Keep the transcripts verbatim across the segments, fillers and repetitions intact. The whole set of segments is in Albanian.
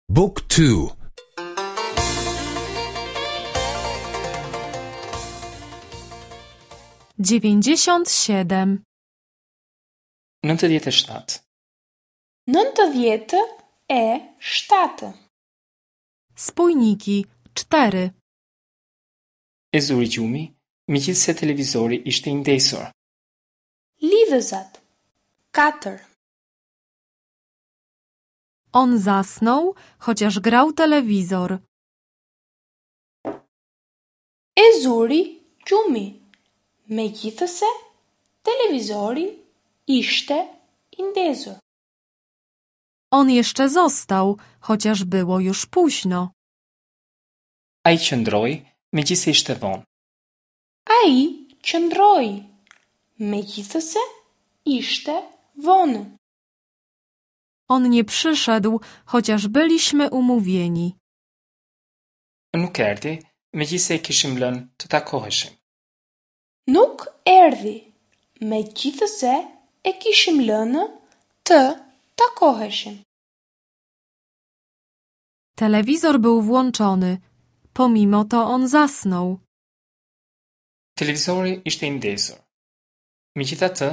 Book two. Dziewięćdziesiąt siedem. Nëntëdhjetë e shtatë. Nëntëdhjetë e shtatë. Spójniki cztery. E zuri gjumi, megjithëse televizori ishte i ndezur. Lidhëzat. Katër. On zasnął, chociaż grał telewizor. E zuri gjumi, megjithëse televizori ishte i ndezur. On jeszcze został, chociaż było już późno. Ai qëndroi, megjithëse ishte vonë. Ai qëndroi, megjithëse ishte vonë. On nie przyszedł, chociaż byliśmy umówieni. Nuk erdhi, megjithëse e kishim lënë të takoheshim. Nuk erdhi, megjithëse e kishim lënë të takoheshim. Telewizor był włączony. Pomimo to on zasnął. Televizori ishte i ndezur. Megjithatë,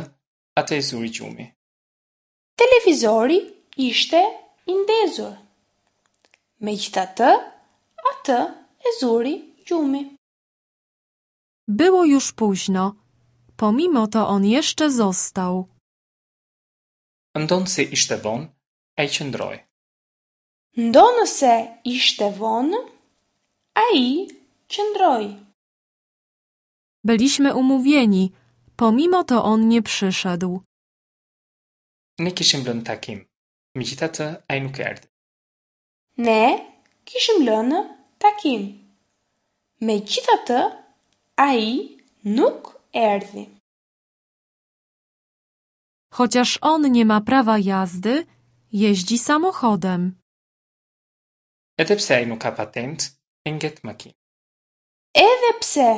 atë e zuri gjumi. Televizori ishte i ndezur. Megjithatë, atë e zuri gjumi. Było już późno. Pomimo to on jeszcze został. Ndonëse ishte vonë, ai qëndroi. Ndonëse ishte vonë, ai qëndroi. Byliśmy umówieni. Pomimo to on nie przyszedł. Ne kishim lënë takim. Megjithatë, ai nuk erdhi. Ne kishim lënë takim. Megjithatë, ai nuk erdhi. Chociaż on nie ma prawa jazdy, jeździ samochodem. Edhe pse ai nuk ka patentë, e nget makinë. Edhe pse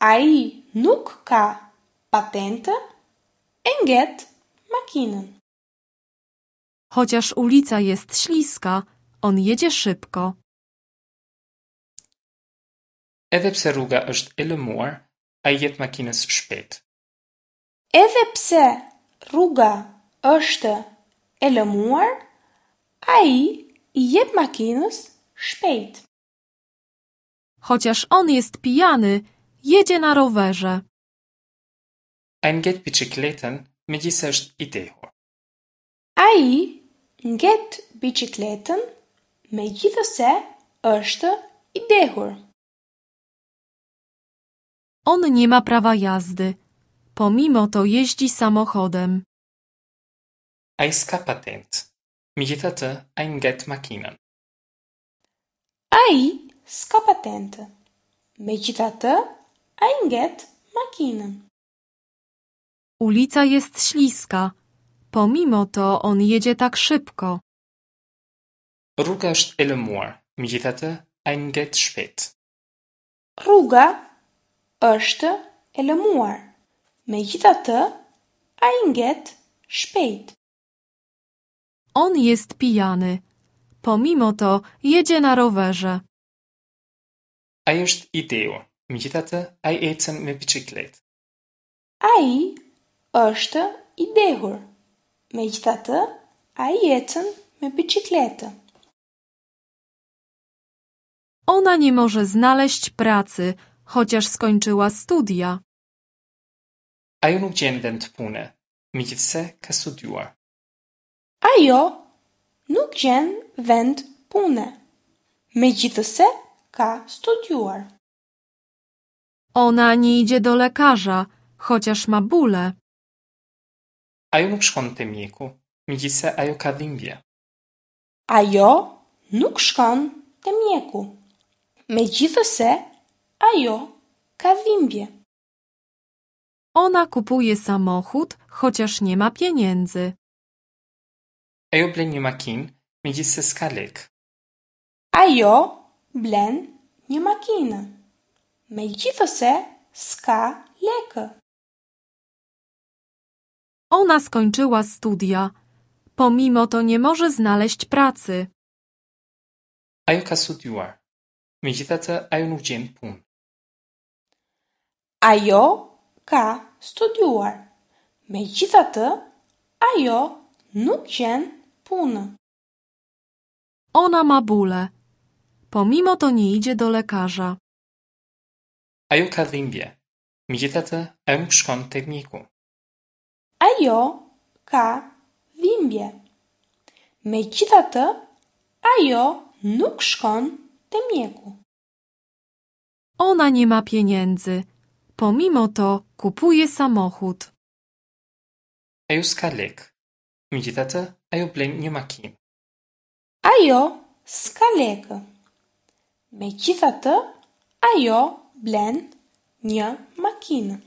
ai nuk ka patentë, e nget makinën. Chociaż ulica jest śliska, on jedzie szybko. Edhe pse rruga është e lëmuar, ai jep makinës shpejt. Edhe pse rruga është e lëmuar, ai i jep makinës shpejt. Chociaż on jest pijany, jedzie na rowerze. Ai nget biçikletën, megjithëse është i dehur. Ai nget biçikletën, megjithëse është i dehur. On nie ma prawa jazdy. Pomimo to jeździ samochodem. Ai s'ka patentë. Megjithatë, ai nget makinën. Ai s'ka patentë. Megjithatë, ai nget makinën. Ulica jest śliska. Pomimo to on jedzie tak szybko. Rruga është e lëmuar, megjithatë, ai nget shpejt. Rruga është e lëmuar. Megjithatë, ai nget shpejt. On jest pijany. Pomimo to jedzie na rowerze. Ai është i dehur, megjithatë, ai ecën me biçikletë. Ai është i dehur. Megjithatë, ai ecën me biçikletë. Ona nie może znaleźć pracy, chociaż skończyła studia. Ajo nuk gjen vend pune, megjithëse ka studiuar. Ajo nuk gjen vend pune, megjithëse ka studiuar. Ona nie idzie do lekarza, chociaż ma bóle. Ajo nuk shkon te mjeku, megjithëse ajo ka dhimbje. Ajo nuk shkon te mjeku, megjithëse ajo ka dhimbje. Ona kupuje samochód, chociaż nie ma pieniędzy. Ajo blen një makinë, megjithëse s'ka lekë. Ajo blen një makinë, megjithëse s'ka lekë. Ona skończyła studia. Pomimo to nie może znaleźć pracy. Ajo ka studiuar. Megjithatë, ajo nuk gjen punë. Ajo ka studiuar. Megjithatë, ajo nuk gjen punë. Ona ma bóle. Pomimo to nie idzie do lekarza. Ajo ka dhimbje. Megjithatë, ajo nuk shkon te mjeku. Ajo ka dhimbje. Megjithatë, ajo nuk shkon te mjeku. Ona nie ma pieniędzy. Pomimo to kupuje samochód. Ajo s'ka lekë. Megjithatë, ajo blen një makinë. Ajo s'ka lekë. Megjithatë, ajo blen një makinë.